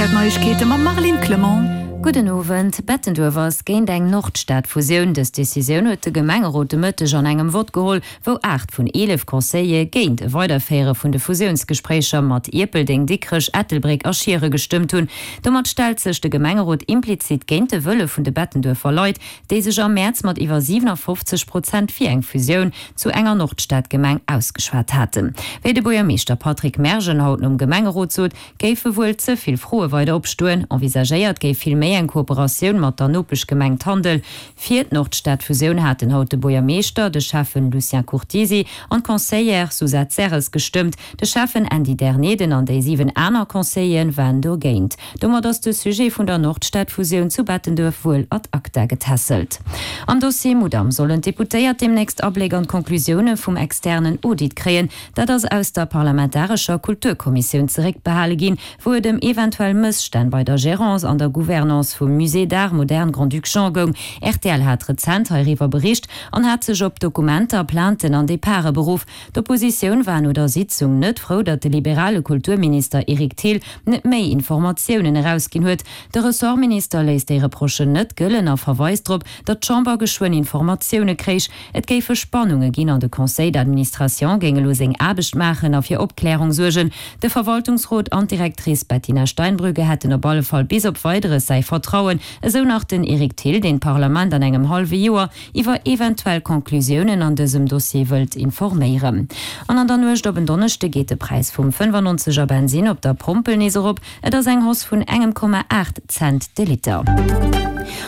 Kéier d'Neiegkeete mam Marlene Clement. Gudden Owend. Bettenduerf ass géint eng Nordstad-Fusioun. Dës Decisioun huet de Gemengerot de Mëtteg an engem Vott geholl, wou 8 vun 11 Conseillere géint e Weiderféiere vun de Fusiounsgespréicher mat Ierpeldeng, Dikrech, Ettelbréck a Schiere gestëmmt hunn. Domat stellt sech de Gemengerot implizit géint de Wëlle vun de Bettenduerfer Leit, déi sech am Mäerz mat iwwer 57 Prozent fir eng Fusioun zu enger Nordstadgemeng ausgeschwat haten. Wéi de Buergermeeschter Patrick Mergen haut nom Gemengerot sot, géife wuel ze vill Froe weider opstoen. Envisagéiert géif vill méi eng Kooperatioun mat der Nopeschgemeng Tandel. Fir d'Nordstadfusioun haten haut de Buergermeeschter, de Schäffen Lucien Curtisi an d'Conseillère Suzette Serres gestëmmt. De Schäffen Andy Derneden an déi 7 aner Conseilleren waren dogéint. Domat ass de Sujet vun der Nordstadfusioun zu Bettenduerf wuel ad acta getässelt. Am Dossier Mudam sollen d'Deputéiert deemnächst Abléck an d'Conclusioune vum externen Audit kréien. Dat ass aus der parlamentarescher Kulturkommissioun zeréckbehale ginn, wou et ëm eventuell Mësstänn bei der Gerance an der Gouvernance vum Musée d'Art moderne Grand-Duc Jean goung. Rtl hat rezent heiriwwer bericht an hat sech op Dokumenter, Plainten an Departe beruff. D'Oppositioun war no der Sitzung net frou, datt de liberale Kulturminister Eric Thill net méi Informatiounen erausginn huet. De Ressortminister léisst déi Reprochen net gëllen a verweist drop, datt d'Chamber geschwënn Informatioune kréich. Et géife Spannunge ginn an de Conseil d'administration géing elo seng Aarbecht maachen a fir Opklärung suergen. De Verwaltungsrot an d'Directrice Bettina Steinbrügge hätten op alle Fall bis op Weideres säi Vertrauen, esou nach den Eric Thill, deen d'Parlament an engem hallwe Joer iwwer eventuell Conclusiounen an dësem Dossier wëllt informéieren. An an der Nuecht op en Donneschde geet de Präis vum 95 er Bensinn op der Pompel nees erop. Et ass eng Hausse vun engem Komma 8 Cent de Liter.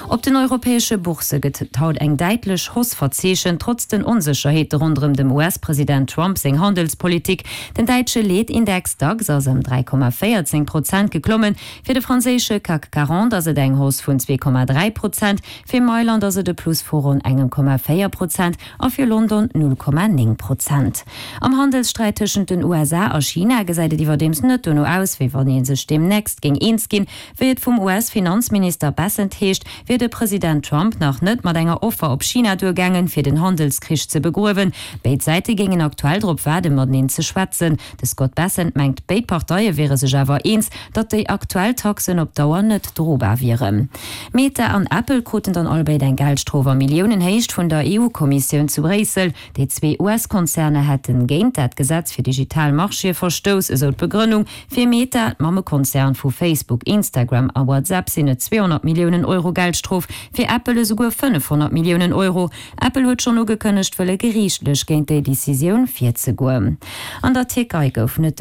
Op den europäesche Boursse gëtt haut eng däitlech Hausse verzeechent, trotz den Onsécherheete ronderëm dem US-President Trump seng Handelspolitik. Den däitsche Leetindex Dax ass ëm 3,14 Prozent geklommen. Fir de franséische CAC 40 ass et eng Hausse vun 2,3 Prozent. Fir Mailand ass et e Plus vu ronn engem Komma 4 Prozent a fir London 0,9 Prozent. Am Handelssträit tëschent den USA a China gesäit et iwwerdeems net dono aus, wéi wann ee sech deemnächst géing eens ginn. Wéi et vum US-Finanzminister Bessent heescht, wier de President Trump nach net mat enger Offer op China duergaangen, fir den Handelskrich ze begruewen. Béid Säite géingen aktuell drop waarden, mateneen ze schwätzen. De Scott Bessent mengt, béid Parteie wiere sech awer eens, datt déi aktuell Taxen op Dauer net drobar wieren. Meta an Apple kruten dann allebéid eng Geldstrof a Milliounenhéicht vun der EU-Kommissioun zu Bréissel. Déi zwee US-Konzerner hätte géint dat Gesetz fir digital Marchéë verstouss, esou d'Begrënnung. Fir Meta, d'Mammekonzern vu Facebook, Instagram a WhatsApp, sinn et 200 Milliounen Euro Geldstrof, fir Apple esouguer 500 Milliounen Euro. Apple huet schonn ugekënnegt, wëlle geriichtlech géint déi Decisioun virzegoen. An der Tierkei gouf et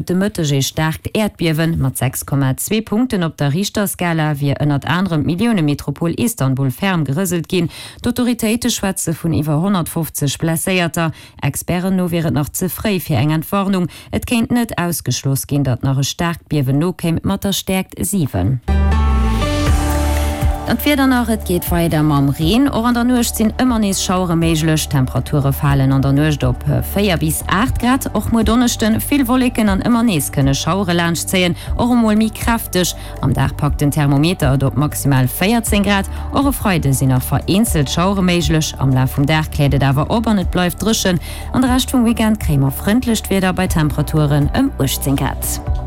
de Mëtteg ee staarkt Äerdbiewen. Mat 6,2 Punkten op der Richterskala wier ënnert anerem d'Millioune-Metropol Istanbul ferm gerëselt ginn. D'Autoritéite schwätze vun iwwer 150 Blesséierter. Experten no wier et nach ze fréi fir eng Entwarnung. Et kéint net ausgeschloss ginn, datt nach e staarkt Biewen nokéim mat der Stäerkt 7. Dann d'Wieder nach, Et geet weider mam Reen, och an der Nuecht sinn ëmmer nees Schauere méiglech. D'Temperature falen an der Nuecht op 4 bis 8 Grad. Och muer Donneschden vill Wolleken an ëmmer nees kënne Schauere laanschtzéien, och emol méi kräfteg. Am Dag packt den Thermometer et op maximal 14 Grad. Och e Freide sinn nach vereenzelt Schauere méiglech, am Laf vum Dag kläert et awer op an et bleift dréchen. An de Rescht vum Weekend kréie mer frëndlecht Wieder bei Temperaturen ëm 18 Grad.